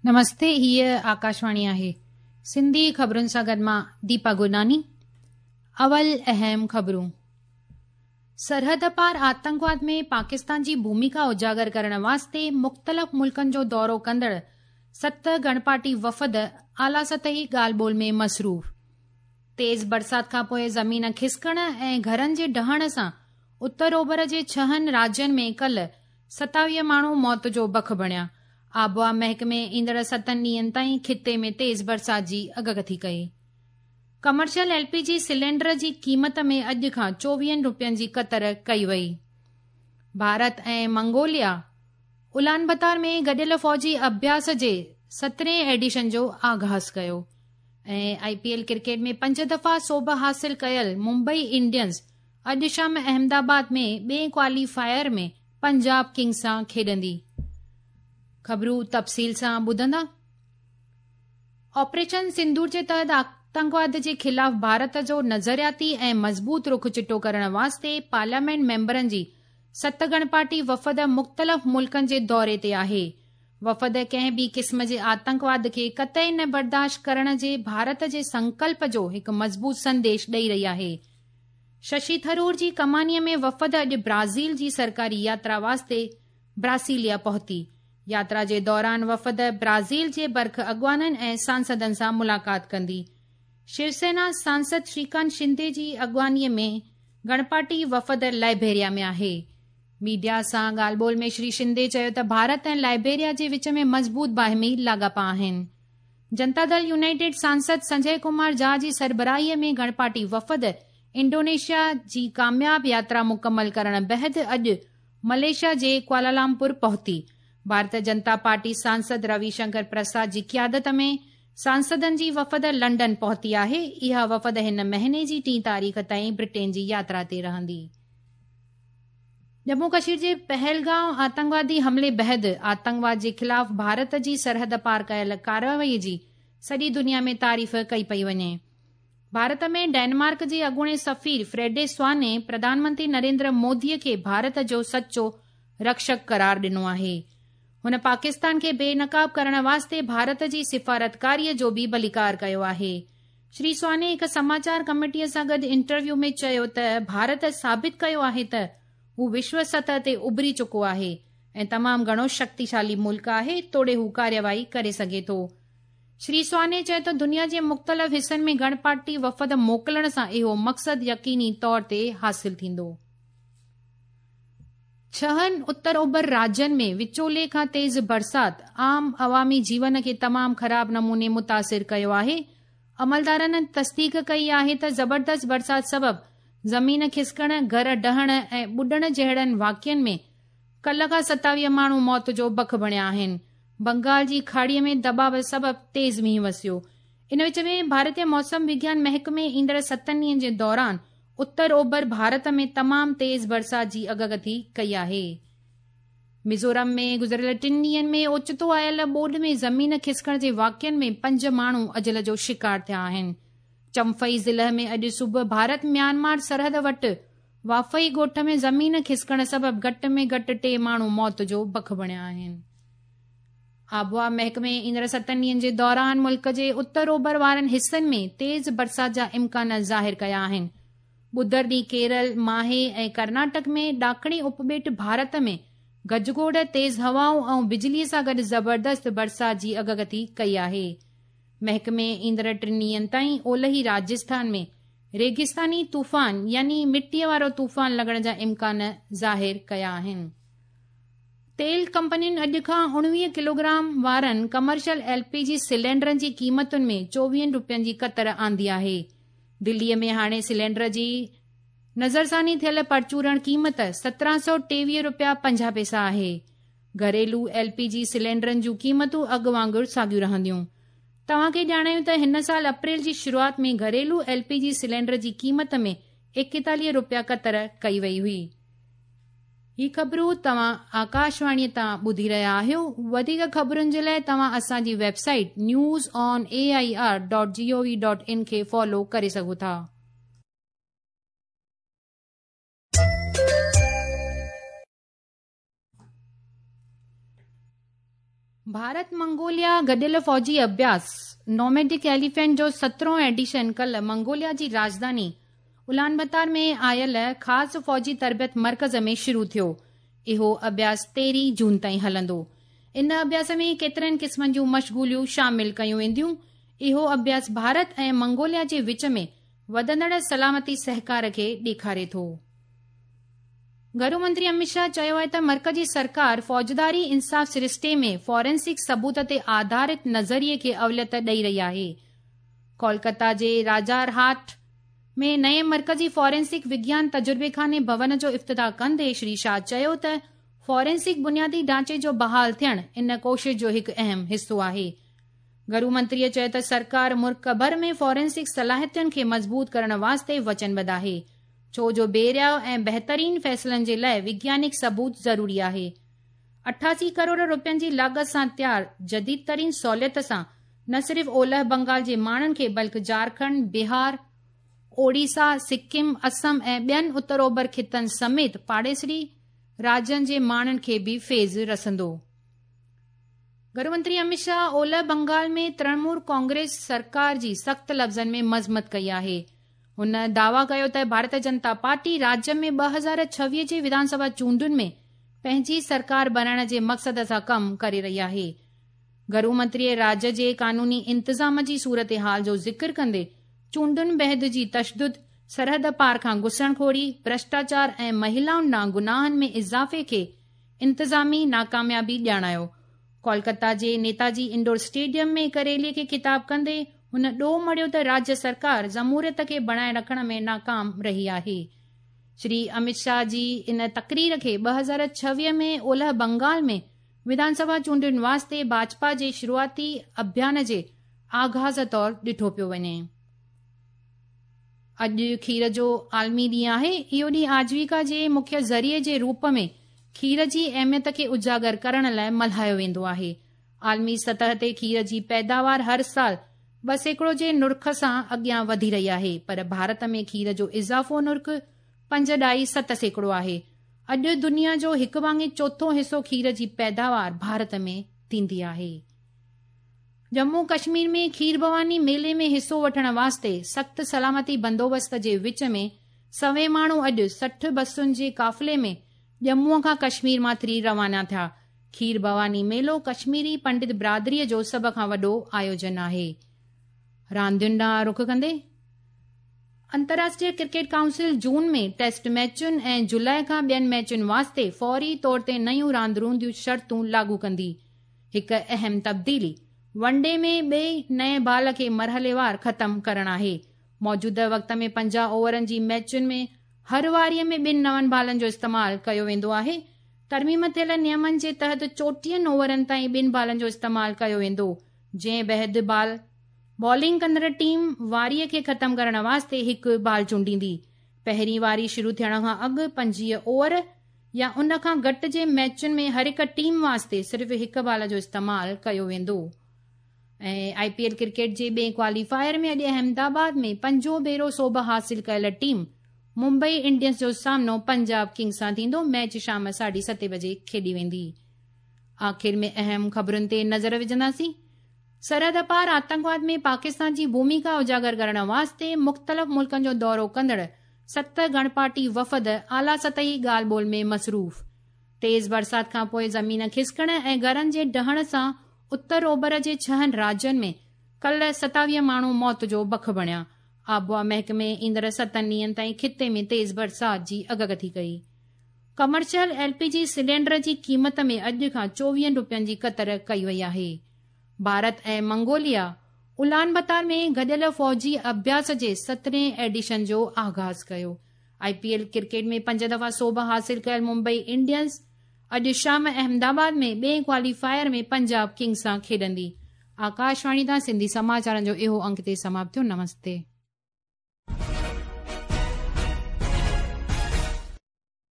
نمستي هيء آڪاشواڻي آهي سنڌي خبرن سان گڏ مان ديپا گرناني. اول اهم خبرون. سرحد پار آتنڪواد ۾ پاڪستان جي ڀوميڪا اجاگر ڪرڻ واسطي مختلف ملڪن جو دورو ڪندڙ ست گڻپارٽي وفد اعليٰ سطحي ڳالهه ٻولهه ۾ مصروف. تيز برسات کانپوء زمين کسڪڻ ۽ گهرن جي ڊهڻ سان اتر اوڀر جي ڇهن راجين ۾ ڪلهه 27 ماڻهو موت جو بک بڻيا. آبهوا محڪمي ايندڙ ستن ڏينهن تائين خطي ۾ تيز برسات جي اڳڪٿي ڪئي. ڪمرشل ايل پي جي سلينڊر جي قيمت ۾ اڄ کان 24 روپين جي ڪتر ڪئي وئي. ڀارت ۽ منگوليا الانبتار ۾ گڏيل فوجي اڀياس جي 17هين ايڊيشن جو آغاز ڪيو ۽ آء پي ايل ڪرڪيٽ ۾ پنج دفعا سوڀ حاصل ڪيل ممبئي انڊينز اڄ شام احمد آباد ۾ ٻئين ڪواليفائر ۾ پنجاب ڪنگز سان کيڏندي. خبرون تفصيل سان ٻڌندا. آپريشن سندور جي تحت آتنڪواد جي خلاف ڀارت جو نظرياتي ۽ مضبوط رخ چٽو ڪرڻ واسطي پارليامينٽ ميمبرن جي ست گڻپارٽي وفد مختلف ملڪن جي دوري تي آهي. وفد ڪنهن به قسم جي آتنڪواد کي قطعي نه برداشت ڪرڻ جي ڀارت جي سنڪلپ جو هڪ مضبوط سنديش ڏئي رهي آهي. ششي ٿرور جي ڪمانيء ۾ وفد اڄ برازيل جي سرڪاري ياترا واسطي براسيليا پهتي. ياترا جي دوران وفد برازيل جي برک اڳواڻن ۽ سانسدن سان ملاقات ڪندي. شوسينا سانسد شريڪانت شندي جي اڳواڻيء ۾ گڻپارٽي وفد لائبيريا ۾ آهي. ميڊيا سان ڳالهه ٻولهه ۾ شري شندي چيو ته ڀارت ۽ لائبيريا جي وچ ۾ مضبوط باهمي لاڳاپا آهن. جنتا دل يونائيٽيڊ سانسد سنجي ڪمار جها جي سربراهيء ۾ گڻپارٽي وفد انڊونيشيا جي ڪامياب ياترا مڪمل ڪرڻ بعد اڄ ملائيشيا جي ڪوالالمپور پهتي. ڀارتيه جنتا پارٽي سانسد روي شنڪر پرساد جي قيادت ۾ سانسدن جي وفد لنڊن پهتي آهي. اها وفد هن مهيني جي ٽين تاريخ تائين برٽين جي ياترا تي رهندي. ڄمون ڪشمير جي پهلگام آتنڪوادي حملي بعد آتنڪواد جي خلاف ڀارت جي سرحد پار ڪيل ڪارروائي جي سڄي دنيا ۾ تعريف ڪئي پئي وڃي. ڀارت ۾ ڊينمارڪ جي اڳوڻي سفير فريڊي سواني پرڌان منتري نريندر مودي کي ڀارت جو سچو رڪشڪ قرار ڏنو آهي. هن پاڪستان کي بي نقاب ڪرڻ واسطي ڀارت جي سفارتڪاري جو به ڀليڪار ڪيو آهي. شري سواني هڪ سماچار ڪميٽيء سان گڏ انٽرويو ۾ چيو ته ڀارت ثابت ڪيو آهي ته هو وشو سطح تي اڀري چڪو آهي ۽ تمام گهڻو شڪتيشالي ملڪ آهي توڙي هو ڪارروائي ڪري سگهي ٿو. شري سواني چيو ته دنيا جي مختلف حصن ۾ گهڻ پارٽي وفد موڪلڻ سان اهو مقصد يقيني طور تي حاصل ٿيندو. ڇهن اتر اوڀر راجين ۾ وچولي کان تيز برسات عام عوامي جيون کي تمام خراب نموني متاثر ڪيو آهي. عملدارن تصديق ڪئي آهي ته زبردست برسات سبب زمين کسڪڻ، گهر ڊهڻ ۽ ٻڏڻ جهڙن واقعن ۾ ڪلهه کان 27 ماڻهو موت جو بک بڻيا آهن. بنگال جي کاڙي ۾ دٻاء سبب تيز مينهن وسيو. ان وچ ۾ ڀارتي موسم وگيان محڪمي ايندڙ ستن ڏينهن جي دوران اتر اوڀر ڀارت ۾ تمام تيز برسات جي اڳڪٿي ڪئي آهي. ميزورم ۾ گذريل ٽن ڏينهن ۾ اوچتو آيل ٻوڏ ۾ زمين کسڪڻ جي واقعن ۾ پنج ماڻهو اجل جو شڪار ٿيا آهن. چمفئي ضلع ۾ اڄ صبح ڀارت ميانمار سرحد وٽ وافئي ڳوٺ ۾ زمين کسڪڻ سبب گهٽ ۾ گهٽ ٽي ماڻهو موت جو بک بڻيا آهن. آبهوا محڪمي ايندڙ ستن ڏينهن جي دوران ملڪ جي اتر اوڀر وارن حصن ۾ تيز برسات جا امڪان ظاهر ڪيا آهن. ٻڌر ڏينهن ڪيرل، ماهي ۽ ڪرناٽڪ ۾ ڏاکڻي اپٻيٽ ڀارت ۾ گجگوڙ، تيز هوائون ۽ بجلي سان گڏ زبردست برسات جي اڳڪٿي ڪئي آهي. محڪمي ايندڙ ٽن ڏينهن تائين اولهي راجسٿان ۾ ريگستاني طوفان يعني مٽيء وارو طوفان لڳڻ جا امڪان ظاهر ڪيا آهن. تيل ڪمپنين اڄ کان 19 ڪلوگرام وارن ڪمرشل ايل پي جي سلينڊرن جي قيمتن ۾ 24 روپين جي ڪتر آندي آهي. دلي ۾ هاڻي سلينڊر جي نظرثاني ٿيل پرچورڻ قيمت 1723 روپيا 50 پئسا آهي. گهريلو ايل پي جي سلينڊرن جون قيمتون اڳ وانگر ساڳيون رهنديون. توهان کي ڄاڻايون ته هن سال اپريل جي شروعات ۾ گهريلو ايل پي جي سلينڊر جي قيمت ۾ 41 روپيا ڪتر ڪئي وئي هئي. هي خبرون توهان آڪاشواڻي تان ٻڌي رهيا آهيو. وڌيڪ خبرن جي لاء توهان اسان جي website news on A I R dot G O V dot in کي فالو ڪري سگهو ٿا. ڀارت منگوليا گڏيل فوجي اڀياس نوميڊڪ ايليفنٽ جو سترهون ايڊيشن ڪلهه منگوليا جي راڄڌاني الانبتار ۾ آيل خاص فوجي تربيت مرڪز ۾ شروع ٿيو. اهو اڀياس تيرهين جون تائين هلندو. ان اڀياس ۾ ڪيترن قسمن جون مشغوليون شامل ڪيون وينديون. اهو اڀياس ڀارت ۽ منگوليا جي وچ ۾ وڌندڙ سلامتي سهڪار کي ڏيکاري ٿو. گهرو منتري اميت شاهه چيو آهي ته مرڪزي سرڪار فوجداري انصاف سرشتي ۾ فارينسڪ ثبوت تي آڌارت نظريي کي اوليت ڏئي رهي آهي. ڪولڪتا جي راجارهاٽ ۾ نئين مرڪزي فارينسڪ وگيان تجربيخاني ڀون جو افتتاح ڪندي شري شاهه چيو ته فارينسڪ بنيادي ڍانچي جو بحال ٿيڻ ان ڪوشش جو هڪ اهم حصو آهي. گهرو منتري چيو ته سرڪار ملڪ ڀر ۾ فارينسڪ صلاحيتن کي مضبوط ڪرڻ واسطي وچنبڌ آهي. ڇو جو بي رياء ۽ بهترين فيصلن جي لاء وگيانڪ ثبوت ضروري آهي. 88 ڪروڙ روپين جي لاڳت سان تيار جديد ترين سهوليت سان نه صرف اولهه بنگال جي ماڻهن کي بلڪ جهارکنڊ، بهار، اوڙيسا، سڪم، اسم ۽ ٻين اتر اوڀر خطن سميت پاڙيسري راجين جي ماڻهن کي به فيض رسندو. گهرو منتري اميت شاهه اولهه بنگال ۾ ترڻمول ڪانگريس سرڪار جي سخت لفظن ۾ مذمت ڪئي آهي. هن دعويٰ ڪيو ته ڀارتيه جنتا پارٽي راجيه ۾ 2026 جي وڌان سڀا چونڊن ۾ پنهنجي سرڪار بڻائڻ جي مقصد سان ڪم ڪري رهي آهي. گهرو منتري راجيه جي قانوني انتظام جي صورتحال جو ذڪر ڪندي چونڊن بعد جي تشدد، سرحد پار کان گهسڻخوري، ڀرشٽاچار ۽ مهلائن ڏانهن گناهن ۾ اضافي کي انتظامي ناڪاميابي ڄاڻايو. ڪولڪتا جي نيتاجي انڊور اسٽيڊيم ۾ هڪ ريلي کي خطاب ڪندي هن ڏوهه مڙهيو ته راجيه سرڪار جمهوريت کي بڻائي رکڻ ۾ ناڪام رهي آهي. شري اميت شاهه جي ان تقرير کي 2026 ۾ اولهه بنگال ۾ وڌان سڀا چونڊن واسطي ڀاجپا جي شروعاتي اڀيان جي آغاز طور ڏٺو پيو وڃي. اڄ کير جو عالمي ڏينهن آهي. اهو ڏينهن آجيوڪا جي مکيه ذريعي جي روپ ۾ کير جي اهميت کي اجاگر ڪرڻ لاء ملهايو ويندو آهي. عالمي سطح تي کير جي پيداوار هر سال 2% جي نرخ سان اڳيان وڌي رهي آهي پر ڀارت ۾ کير جو اضافو نرخ 5.7% آهي. اڄ دنيا جو هڪ ڀاڱي چوٿون حصو کير جي پيداوار ڀارت ۾ ٿيندي آهي. ڄمون ڪشمير ۾ کير ڀواني ميلي ۾ حصو وٺڻ واسطي سخت سلامتي بندوبست جي وچ ۾ سوين ماڻهو اڄ 60 بسن جي قافلي ۾ ڄمون کان ڪشمير ماٿري روانا ٿيا. کير ڀواني ميلو ڪشميري پنڊت برادري جو سڀ کان وڏو آيوجن آهي. راندين ڏانهن رخ ڪندي انترراشٽريه ڪرڪيٽ ڪائونسل جون ۾ ٽيسٽ ميچن ۽ جولاء کان ٻين ميچن واسطي فوري طور تي نيون راند رونديون شرطون لاڳو ڪندي. هڪ اهم تبديلي ون ڊي ۾ ٻئي نئين بال کي مرحليوار ختم ڪرڻ آهي. موجوده وقت ۾ 50 اوورن جي ميچن ۾ هر واري ۾ ٻن نون بالن جو استعمال ڪيو ويندو آهي. ترميم ٿيل نيمن جي تحت 34 اوورن تائين ٻن بالن جو استعمال ڪيو ويندو، جنهن بعد بال بالنگ ڪندڙ ٽيم واري کي ختم ڪرڻ واسطي هڪ بال چونڊيندي. پهرين واري شروع ٿيڻ کان اڳ 25 اوور يا ان کان گهٽ جي ميچن ۾ هر هڪ ٽيم واسطي صرف هڪ بال جو استعمال ڪيو ويندو. ۽ آء پي ايل ڪرڪيٽ جي ٻئين ڪواليفائر ۾ اڄ احمد آباد ۾ پنجون ڀيرو سوڀ حاصل ڪيل ٽيم ممبئي انڊينز جو سامنو پنجاب ڪنگز سان ٿيندو، ميچ شام ساڍي ستين بجي کيڏي ويندي. آخر ۾ اهم خبرن تي نظر وجهنداسين. سرحد پار آتنڪواد ۾ پاڪستان جي ڀوميڪا اجاگر ڪرڻ واسطي مختلف ملڪن جو دورو ڪندڙ ست گهڻ پارٽي وفد اعليٰ سطحي ڳالهه ٻولهه ۾ مصروف. تيز برسات کانپوء زمين کسڪڻ ۽ گهرن جي ڊهڻ سان اتر اوڀر جي ڇهن راجين ۾ ڪلهه 27 ماڻهو موت جو بک بڻيا. آبهوا محڪمي ايندڙ ستن ڏينهن تائين خطي ۾ تيز برسات جي اڳڪٿي ڪئي. ڪمرشل ايل پي جي سلينڊر جي قيمت ۾ اڄ کان 24 روپين جي ڪتر ڪئي وئي آهي. ڀارت ۽ منگوليا الان بتار ۾ گڏيل فوجي اڀياس جي سترهين ايڊيشن جو آغاز ڪيو. آء پي ايل ڪرڪيٽ ۾ پنج دفعا سوڀ حاصل ڪيل ممبئي انڊينز اڄ شام احمد آباد ۾ ٻئين ڪواليفائر ۾ پنجاب ڪنگز سان کيڏندي. آڪاشواڻي تان سنڌي سماچارن جو اهو انڪ هتي سماپت ٿيو. نمستي.